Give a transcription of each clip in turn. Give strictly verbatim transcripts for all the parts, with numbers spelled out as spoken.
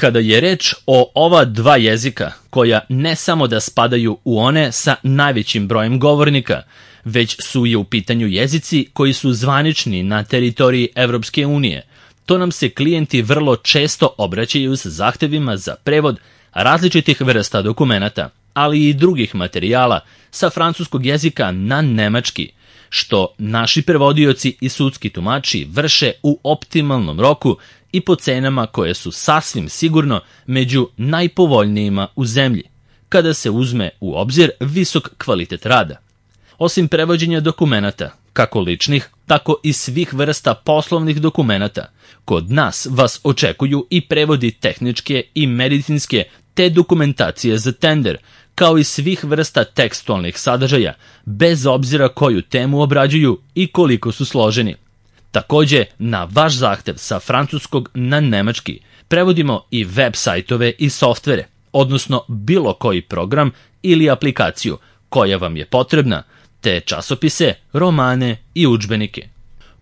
Kada je reč o ova dva jezika, koja ne samo da spadaju u one sa najvećim brojem govornika, već su i u pitanju jezici koji su zvanični na teritoriji Evropske unije, to nam se klijenti vrlo često obraćaju sa zahtevima za prevod različitih vrsta dokumenata, ali i drugih materijala sa francuskog jezika na nemački, što naši prevodioci i sudski tumači vrše u optimalnom roku i po cenama koje su sasvim sigurno među najpovoljnijima u zemlji, kada se uzme u obzir visok kvalitet rada. Osim prevođenja dokumenata, kako ličnih, tako i svih vrsta poslovnih dokumenata, kod nas vas očekuju i prevodi tehničke i medicinske te dokumentacije za tender, kao i svih vrsta tekstualnih sadržaja, bez obzira koju temu obrađuju i koliko su složeni. Takođe, na vaš zahtev sa francuskog na nemački prevodimo i web sajtove i softvere, odnosno bilo koji program ili aplikaciju koja vam je potrebna, te časopise, romane i udžbenike.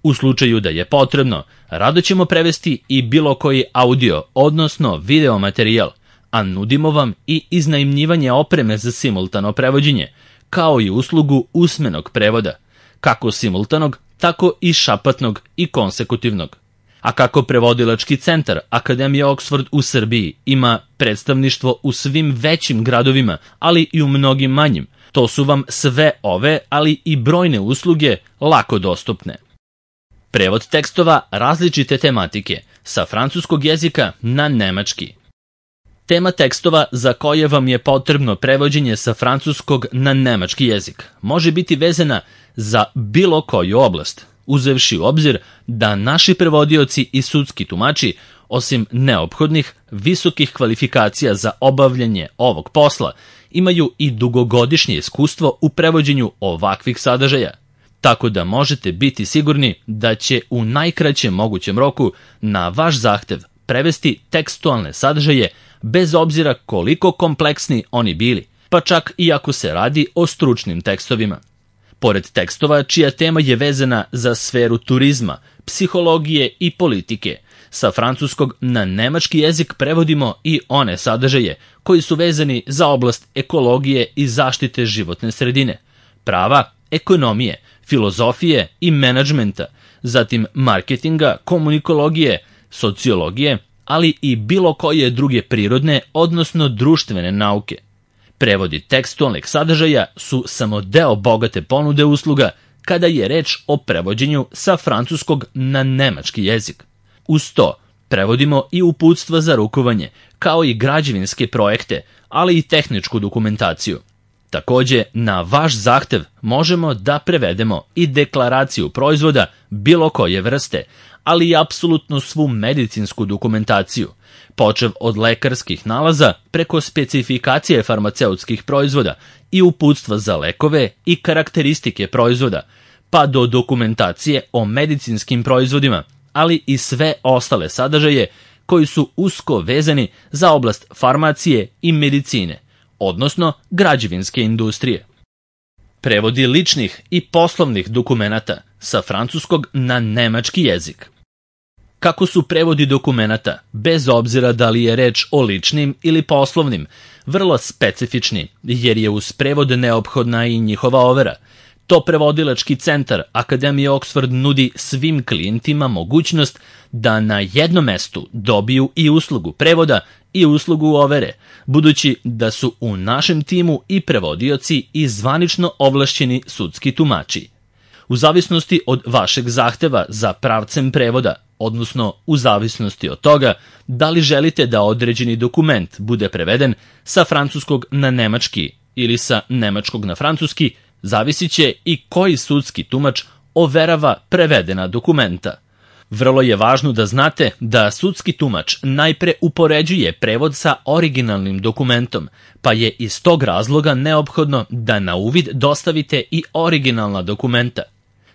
U slučaju da je potrebno, rado ćemo prevesti i bilo koji audio, odnosno video materijal, a nudimo vam i iznajmljivanje opreme za simultano prevođenje, kao i uslugu usmenog prevoda, kako simultanog, tako i šapatnog i konsekutivnog. A kako prevodilački centar Akademije Oxford u Srbiji ima predstavništvo u svim većim gradovima, ali i u mnogim manjim, to su vam sve ove, ali i brojne usluge lako dostupne. Prevod tekstova različite tematike sa francuskog jezika na nemački. Tema tekstova za koje vam je potrebno prevođenje sa francuskog na nemački jezik može biti vezana za bilo koju oblast, uzevši u obzir da naši prevodioci i sudski tumači, osim neophodnih visokih kvalifikacija za obavljanje ovog posla, imaju i dugogodišnje iskustvo u prevođenju ovakvih sadržaja, tako da možete biti sigurni da će u najkraćem mogućem roku na vaš zahtev prevesti tekstualne sadržaje bez obzira koliko kompleksni oni bili, pa čak i ako se radi o stručnim tekstovima. Pored tekstova čija tema je vezana za sferu turizma, psihologije i politike, sa francuskog na nemački jezik prevodimo i one sadržaje koji su vezani za oblast ekologije i zaštite životne sredine, prava, ekonomije, filozofije i menadžmenta, zatim marketinga, komunikologije, sociologije, ali i bilo koje druge prirodne, odnosno društvene nauke. Prevodi tekstualnih sadržaja su samo deo bogate ponude usluga kada je reč o prevođenju sa francuskog na nemački jezik. Uz to, prevodimo i uputstva za rukovanje, kao i građevinske projekte, ali i tehničku dokumentaciju. Takođe, na vaš zahtev možemo da prevedemo i deklaraciju proizvoda bilo koje vrste, ali i apsolutno svu medicinsku dokumentaciju, počev od lekarskih nalaza preko specifikacije farmaceutskih proizvoda i uputstva za lekove i karakteristike proizvoda, pa do dokumentacije o medicinskim proizvodima, ali i sve ostale sadržaje koji su usko vezani za oblast farmacije i medicine, odnosno građevinske industrije. Prevodi ličnih i poslovnih dokumenata sa francuskog na nemački jezik. Kako su prevodi dokumenata, bez obzira da li je reč o ličnim ili poslovnim, vrlo specifični, jer je uz prevod neophodna i njihova overa, to prevodilački centar Akademije Oxford nudi svim klijentima mogućnost da na jednom mestu dobiju i uslugu prevoda i uslugu overe, budući da su u našem timu i prevodioci i zvanično ovlašćeni sudski tumači. U zavisnosti od vašeg zahteva za pravcem prevoda, odnosno u zavisnosti od toga da li želite da određeni dokument bude preveden sa francuskog na nemački ili sa nemačkog na francuski, zavisit će i koji sudski tumač overava prevedena dokumenta. Vrlo je važno da znate da sudski tumač najpre upoređuje prevod sa originalnim dokumentom, pa je iz tog razloga neophodno da na uvid dostavite i originalna dokumenta.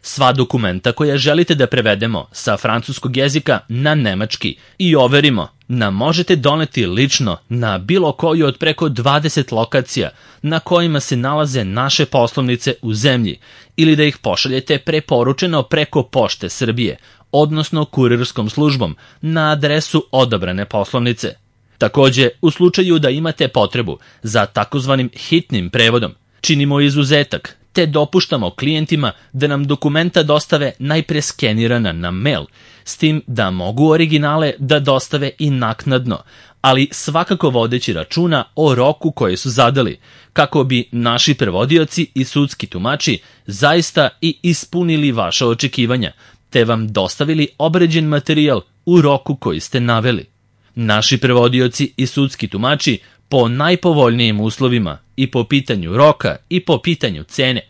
Sva dokumenta koja želite da prevedemo sa francuskog jezika na nemački i overimo nam možete doneti lično na bilo koju od preko dvadeset lokacija na kojima se nalaze naše poslovnice u zemlji ili da ih pošaljete preporučeno preko Pošte Srbije, odnosno kurirskom službom na adresu odabrane poslovnice. Takođe, u slučaju da imate potrebu za takozvanim hitnim prevodom, činimo izuzetak, te dopuštamo klijentima da nam dokumenta dostave najpre skenirana na mail, s tim da mogu originale da dostave i naknadno, ali svakako vodeći računa o roku koje su zadali, kako bi naši prevodioci i sudski tumači zaista i ispunili vaša očekivanja, te vam dostavili obređen materijal u roku koji ste naveli. Naši prevodioci i sudski tumači po najpovoljnijim uslovima i po pitanju roka i po pitanju cene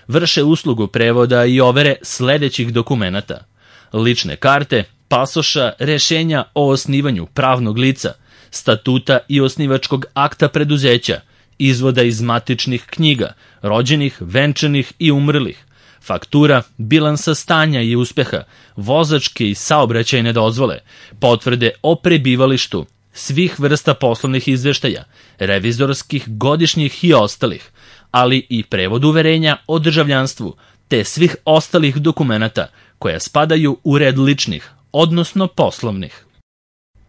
vrše uslugu prevoda i overe sledećih dokumenata: lične karte, pasoša, rešenja o osnivanju pravnog lica, statuta i osnivačkog akta preduzeća, izvoda iz matičnih knjiga, rođenih, venčanih i umrlih, faktura, bilansa stanja i uspeha, vozačke i saobraćajne dozvole, potvrde o prebivalištu, svih vrsta poslovnih izveštaja, revizorskih, godišnjih i ostalih, ali i prevod uverenja o državljanstvu, te svih ostalih dokumenata koja spadaju u red ličnih, odnosno poslovnih.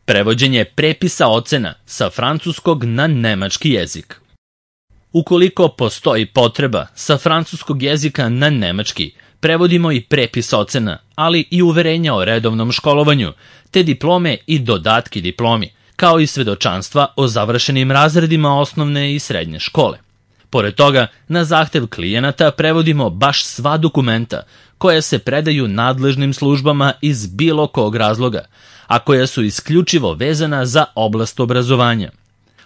Prevođenje prepisa ocena sa francuskog na nemački jezik. Ukoliko postoji potreba sa francuskog jezika na nemački, prevodimo i prepis ocena, ali i uverenja o redovnom školovanju, te diplome i dodatki diplomi, kao i svedočanstva o završenim razredima osnovne i srednje škole. Pored toga, na zahtev klijenata prevodimo baš sva dokumenta koja se predaju nadležnim službama iz bilo kog razloga, a koja su isključivo vezana za oblast obrazovanja.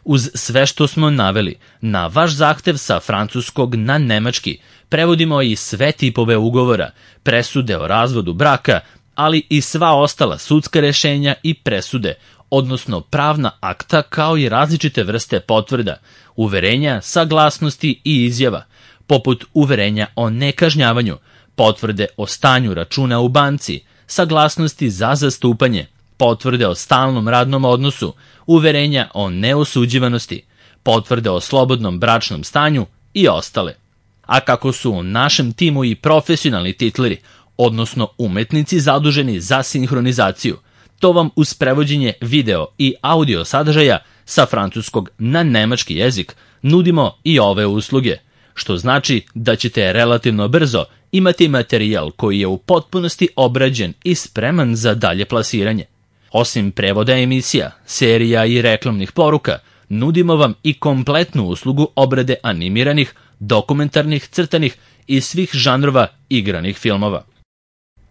Uz sve što smo naveli, na vaš zahtev sa francuskog na nemački prevodimo i sve tipove ugovora, presude o razvodu braka, ali i sva ostala sudska rešenja i presude, odnosno pravna akta, kao i različite vrste potvrda, uverenja, saglasnosti i izjava, poput uverenja o nekažnjavanju, potvrde o stanju računa u banci, saglasnosti za zastupanje, potvrde o stalnom radnom odnosu, uverenja o neosuđivanosti, potvrde o slobodnom bračnom stanju i ostale. A kako su u našem timu i profesionalni titleri, odnosno umetnici zaduženi za sinhronizaciju, to vam uz prevođenje video i audio sadržaja sa francuskog na nemački jezik nudimo i ove usluge, što znači da ćete relativno brzo imati materijal koji je u potpunosti obrađen i spreman za dalje plasiranje. Osim prevoda emisija, serija i reklamnih poruka, nudimo vam i kompletnu uslugu obrade animiranih, dokumentarnih, crtanih i svih žanrova igranih filmova.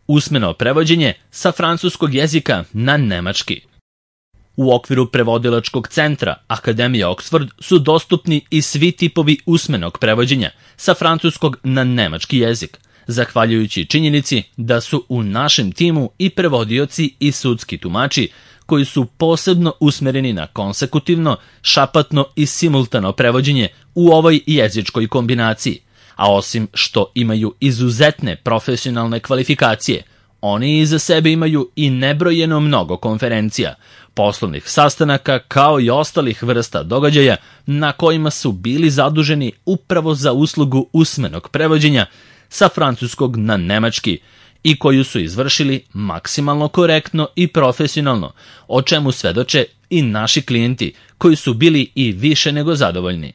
Usmeno prevođenje sa francuskog jezika na nemački. U okviru prevodilačkog centra Akademije Oxford su dostupni i svi tipovi usmenog prevođenja sa francuskog na nemački jezik, zahvaljujući činjenici da su u našem timu i prevodioci i sudski tumači koji su posebno usmereni na konsekutivno, šapatno i simultano prevođenje u ovoj jezičkoj kombinaciji, a osim što imaju izuzetne profesionalne kvalifikacije, oni iza sebe imaju i nebrojeno mnogo konferencija, poslovnih sastanaka kao i ostalih vrsta događaja na kojima su bili zaduženi upravo za uslugu usmenog prevođenja sa francuskog na nemački i koju su izvršili maksimalno korektno i profesionalno, o čemu svedoče i naši klijenti koji su bili i više nego zadovoljni.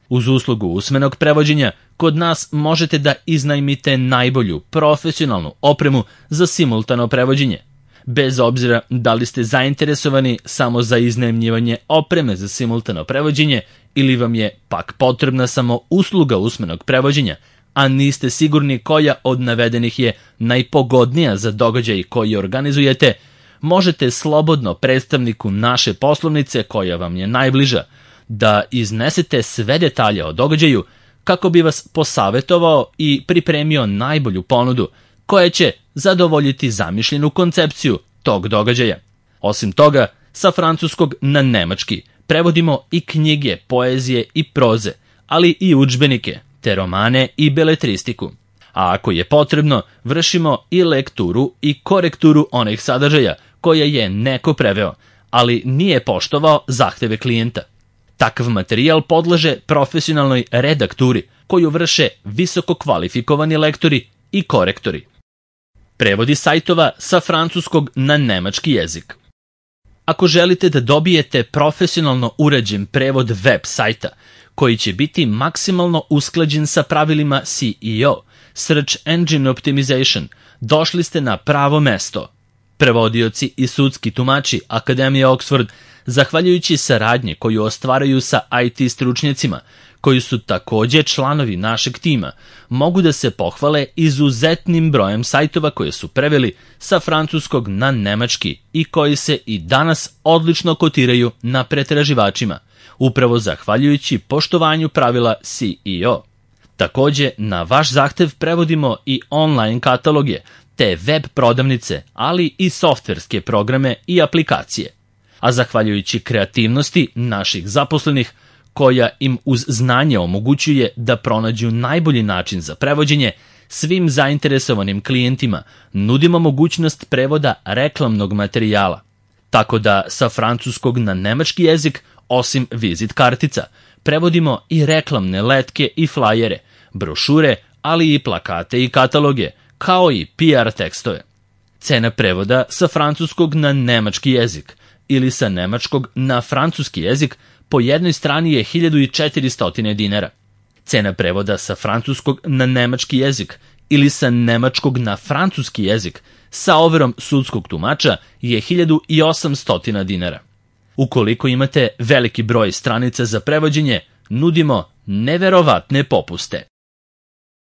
Uz uslugu usmenog prevođenja, kod nas možete da iznajmite najbolju profesionalnu opremu za simultano prevođenje. Bez obzira da li ste zainteresovani samo za iznajmljivanje opreme za simultano prevođenje ili vam je pak potrebna samo usluga usmenog prevođenja, a niste sigurni koja od navedenih je najpogodnija za događaj koji organizujete, možete slobodno predstavniku naše poslovnice koja vam je najbliža da iznesete sve detalje o događaju kako bi vas posavetovao i pripremio najbolju ponudu koja će zadovoljiti zamišljenu koncepciju tog događaja. Osim toga, sa francuskog na nemački prevodimo i knjige, poezije i proze, ali i udžbenike, te romane i beletristiku. A ako je potrebno, vršimo i lekturu i korekturu onih sadržaja koje je neko preveo, ali nije poštovao zahteve klijenta. Takav materijal podleže profesionalnoj redakturi koju vrše visoko kvalifikovani lektori i korektori. Prevodi sajtova sa francuskog na nemački jezik. Ako želite da dobijete profesionalno uređen prevod web sajta, koji će biti maksimalno usklađen sa pravilima S E O, Search Engine Optimization, došli ste na pravo mesto. Prevodioci i sudski tumači Akademije Oxford, zahvaljujući saradnje koju ostvaraju sa I T stručnjacima, koji su takođe članovi našeg tima, mogu da se pohvale izuzetnim brojem sajtova koje su preveli sa francuskog na nemački i koji se i danas odlično kotiraju na pretraživačima, upravo zahvaljujući poštovanju pravila S E O. Takođe, na vaš zahtev prevodimo i online kataloge, te web prodavnice, ali i softverske programe i aplikacije. A zahvaljujući kreativnosti naših zaposlenih, koja im uz znanje omogućuje da pronađu najbolji način za prevođenje, svim zainteresovanim klijentima nudimo mogućnost prevoda reklamnog materijala. Tako da sa francuskog na nemački jezik, osim vizit kartica, prevodimo i reklamne letke i flajere, brošure, ali i plakate i kataloge, kao i P R tekstove. Cena prevoda sa francuskog na nemački jezik ili sa nemačkog na francuski jezik po jednoj strani je hiljadu četiristo dinara. Cena prevoda sa francuskog na nemački jezik ili sa nemačkog na francuski jezik sa overom sudskog tumača je hiljadu osamsto dinara. Ukoliko imate veliki broj stranica za prevođenje, nudimo neverovatne popuste.